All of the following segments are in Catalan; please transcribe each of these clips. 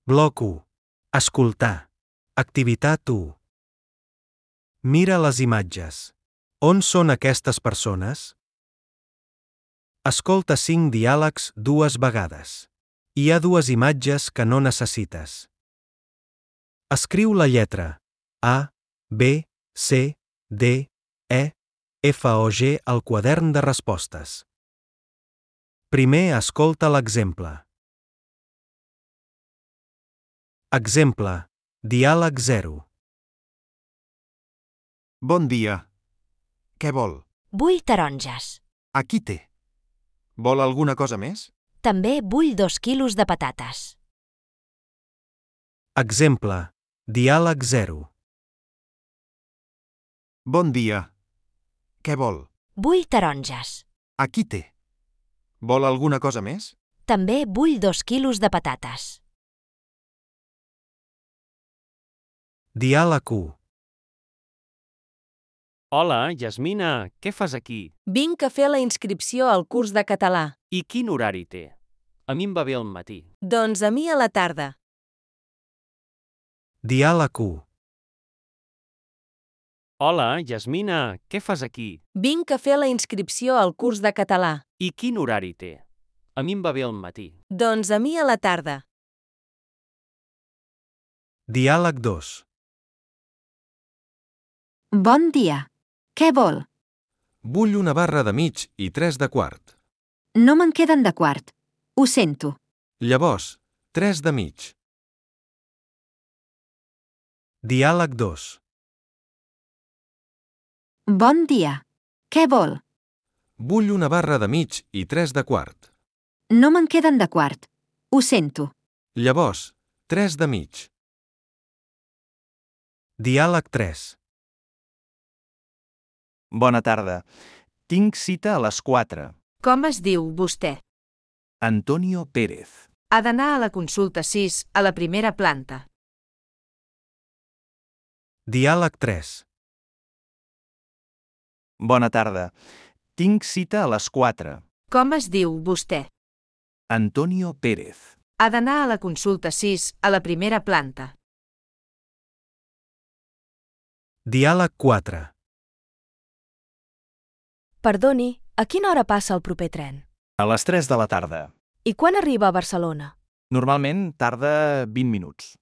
Bloc 1. Escoltar. Activitat 1. Mira les imatges. On són aquestes persones? Escolta 5 diàlegs 2 vegades. Hi ha 2 imatges que no necessites. Escriu la lletra A, B, C, D, E, F o G al quadern de respostes. Primer escolta l'exemple. Exemple. Diàleg 0. Bon dia. Què vol? Vull taronges. Aquí té. Vol alguna cosa més? També vull 2 quilos de patates. Exemple. Diàleg 0. Bon dia. Què vol? Vull taronges. Aquí té. Vol alguna cosa més? També vull 2 quilos de patates. Diàleg 1. Hola, Yasmina, què fas aquí? Vinc a fer la inscripció al curs de català. I quin horari té? A mi em va bé al matí. Doncs a mi a la tarda. Diàleg 1. Hola, Yasmina, què fas aquí? Vinc a fer la inscripció al curs de català. I quin horari té? A mi em va bé al matí. Doncs a mi a la tarda. Diàleg 2. Bon dia. Què vol? Vull una barra de mig i 3 de quart. No me'n queden de quart. Ho sento. Llavors, 3 de mig. Diàleg 2. Bon dia. Què vol? Vull una barra de mig i 3 de quart. No me'n queden de quart. Ho sento. Llavors, 3 de mig. Diàleg 3. Bona tarda. Tinc cita a les 4. Com es diu vostè? Antonio Pérez. Ha d'anar a la consulta 6, a la primera planta. Diàleg 3. Bona tarda. Tinc cita a les 4. Com es diu vostè? Antonio Pérez. Ha d'anar a la consulta 6, a la primera planta. Diàleg 4. Perdoni, a quina hora passa el proper tren? A les 3 de la tarda. I quan arriba a Barcelona? Normalment tarda 20 minuts.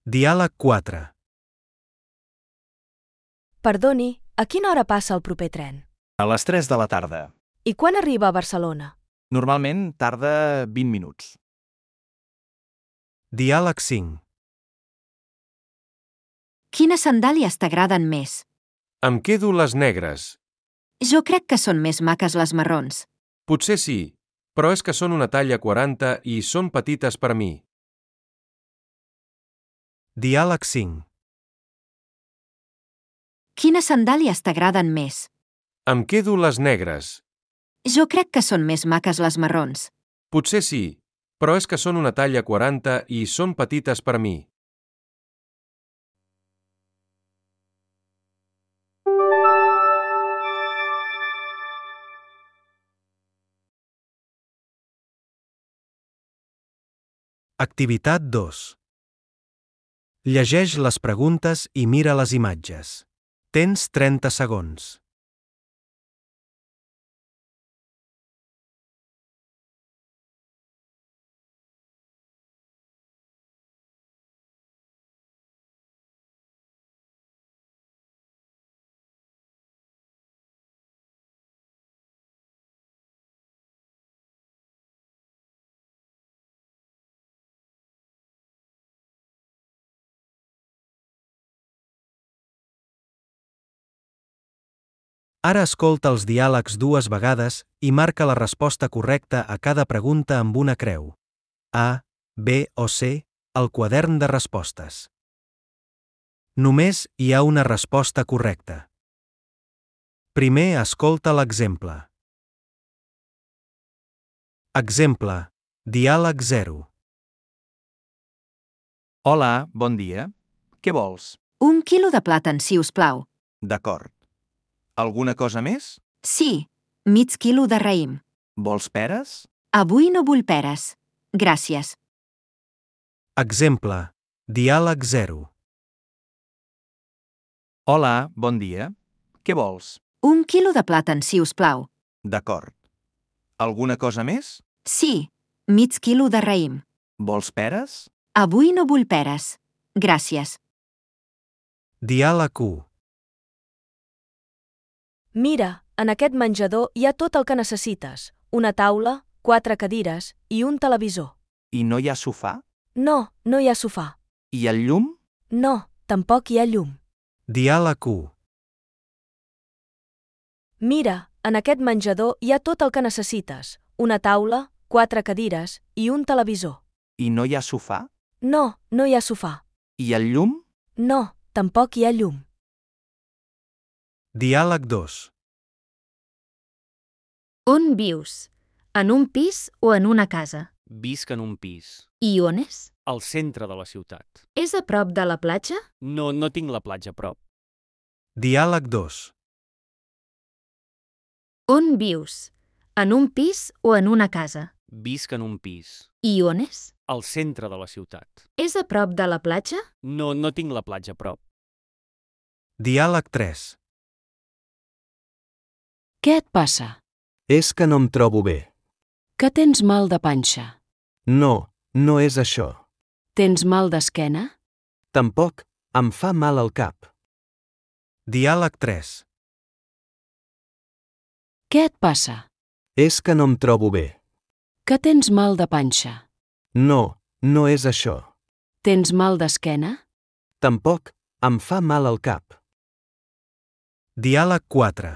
Diàleg 4. Perdoni, a quina hora passa el proper tren? A les 3 de la tarda. I quan arriba a Barcelona? Normalment tarda 20 minuts. Diàleg 5. Quines sandàlies t'agraden més? Em quedo les negres. Jo crec que són més maques les marrons. Potser sí, però és que són una talla 40 i són petites per a mi. Diàleg 5. Quines sandàlies t'agraden més? Em quedo les negres. Jo crec que són més maques les marrons. Potser sí, però és que són una talla 40 i són petites per a mi. Activitat 2. Llegeix les preguntes i mira les imatges. Tens 30 segons. Ara escolta els diàlegs 2 vegades i marca la resposta correcta a cada pregunta amb una creu. A, B o C, al quadern de respostes. Només hi ha una resposta correcta. Primer escolta l'exemple. Exemple. Diàleg 0. Hola, bon dia. Què vols? 1 quilo de plàtan, si us plau. D'acord. Alguna cosa més? Sí, mig quilo de raïm. Vols peres? Avui no vull peres. Gràcies. Exemple. Diàleg 0. Hola, bon dia. Què vols? 1 quilo de plàtan, si us plau. D'acord. Alguna cosa més? Sí, mig quilo de raïm. Vols peres? Avui no vull peres. Gràcies. Diàleg 1. Mira, en aquest menjador hi ha tot el que necessites. Una taula, 4 cadires i un televisor. I no hi ha sofà? No, no hi ha sofà. I el llum? No, tampoc hi ha llum. Diàleg 1. Mira, en aquest menjador hi ha tot el que necessites. Una taula, 4 cadires i un televisor. I no hi ha sofà? No, no hi ha sofà. I el llum? No, tampoc hi ha llum. Diàleg 2. On vius? En un pis o en una casa? Visc en un pis. I on és? Al centre de la ciutat. És a prop de la platja? No tinc la platja a prop. Diàleg 2. On vius? En un pis o en una casa? Visc en un pis. I on és? Al centre de la ciutat. És a prop de la platja? No tinc la platja a prop. Diàleg 3. Què et passa? És que no em trobo bé. Que tens mal de panxa? No, no és això. Tens mal d'esquena? Tampoc, em fa mal al cap. Diàleg 3. Què et passa? És que no em trobo bé. Que tens mal de panxa? No, no és això. Tens mal d'esquena? Tampoc, em fa mal al cap. Diàleg 4.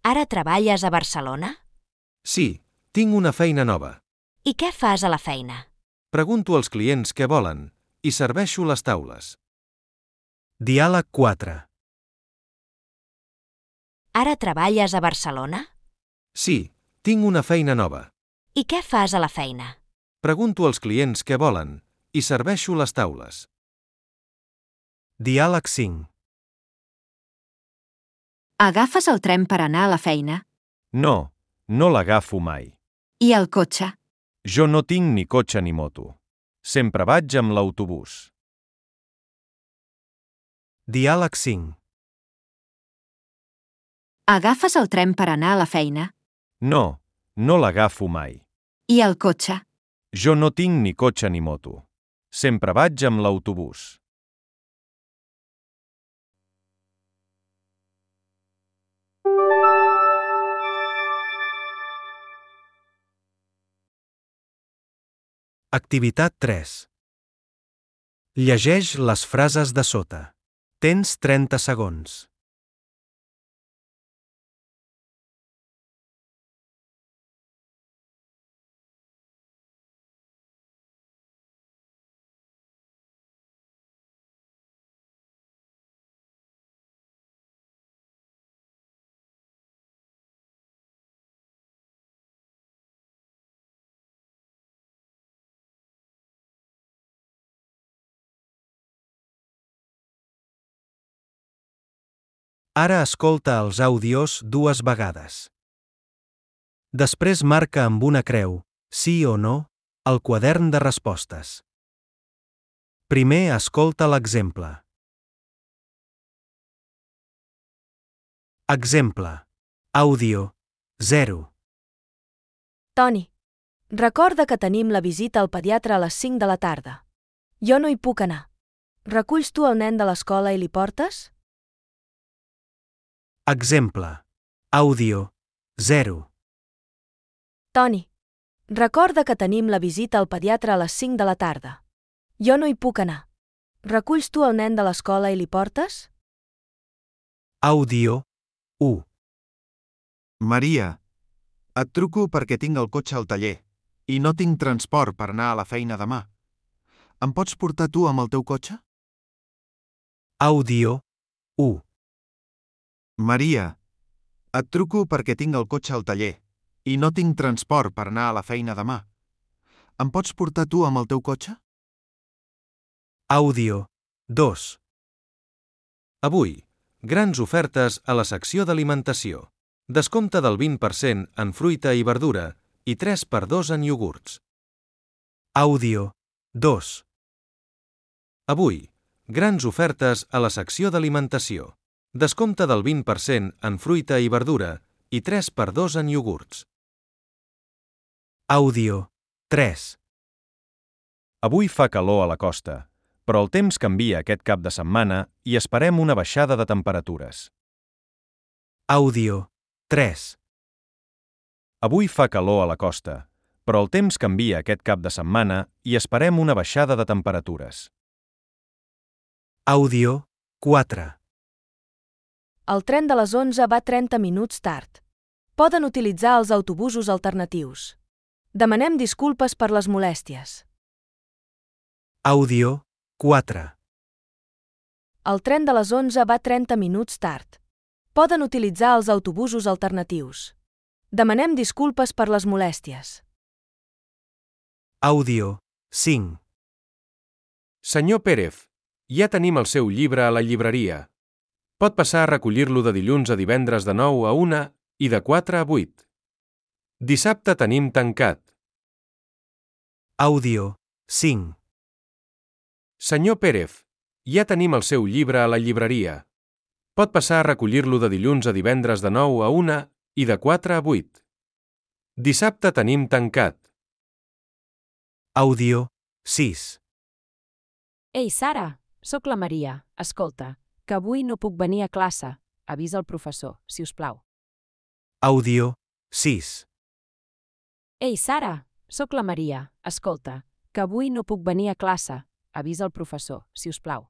Ara treballes a Barcelona? Sí, tinc una feina nova. I què fas a la feina? Pregunto als clients què volen i serveixo les taules. Diàleg 4. Ara treballes a Barcelona? Sí, tinc una feina nova. I què fas a la feina? Pregunto als clients què volen i serveixo les taules. Diàleg 5. Agafes el tren per anar a la feina? No, no l'agafo mai. I el cotxe? Jo no tinc ni cotxe ni moto. Sempre vaig amb l'autobús. Diàleg 5. Agafes el tren per anar a la feina? No, no l'agafo mai. I el cotxe? Jo no tinc ni cotxe ni moto. Sempre vaig amb l'autobús. Activitat 3. Llegeix les frases de sota. Tens 30 segons. Ara escolta els àudios 2 vegades. Després marca amb una creu, sí o no, al quadern de respostes. Primer escolta l'exemple. Exemple. Àudio 0. Toni, recorda que tenim la visita al pediatre a les 5 de la tarda. Jo no hi puc anar. Reculls tu el nen de l'escola i li portes? Exemple. Àudio 0. Toni, recorda que tenim la visita al pediatre a les 5 de la tarda. Jo no hi puc anar. Reculls tu el nen de l'escola i li portes? Àudio 1. Maria, et truco perquè tinc el cotxe al taller i no tinc transport per anar a la feina demà. Em pots portar tu amb el teu cotxe? Àudio 1. Maria, et truco perquè tinc el cotxe al taller i no tinc transport per anar a la feina demà. Em pots portar tu amb el teu cotxe? Àudio 2. Avui, grans ofertes a la secció d'alimentació. Descompte del 20% en fruita i verdura i 3x2 en iogurts. Àudio 2. Avui, grans ofertes a la secció d'alimentació. Descompte del 20% en fruita i verdura i 3x2 en iogurts. Àudio 3. Avui fa calor a la costa, però el temps canvia aquest cap de setmana i esperem una baixada de temperatures. Àudio 3. Avui fa calor a la costa, però el temps canvia aquest cap de setmana i esperem una baixada de temperatures. Àudio 4. El tren de les 11 va 30 minuts tard. Poden utilitzar els autobusos alternatius. Demanem disculpes per les molèsties. Àudio 4. El tren de les 11 va 30 minuts tard. Poden utilitzar els autobusos alternatius. Demanem disculpes per les molèsties. Àudio 5. Senyor Pérez, ja tenim el seu llibre a la llibreria. Pot passar a recollir-lo de dilluns a divendres de 9 a 1 i de 4 a 8. Dissabte tenim tancat. Àudio 5. Senyor Pérez, ja tenim el seu llibre a la llibreria. Pot passar a recollir-lo de dilluns a divendres de 9 a 1 i de 4 a 8. Dissabte tenim tancat. Àudio 6. Ei, Sara, sóc la Maria. Escolta, que avui no puc venir a classe. Avisa el professor, si us plau. Àudio 6. Ei, Sara, sóc la Maria. Escolta, que avui no puc venir a classe. Avisa el professor, si us plau.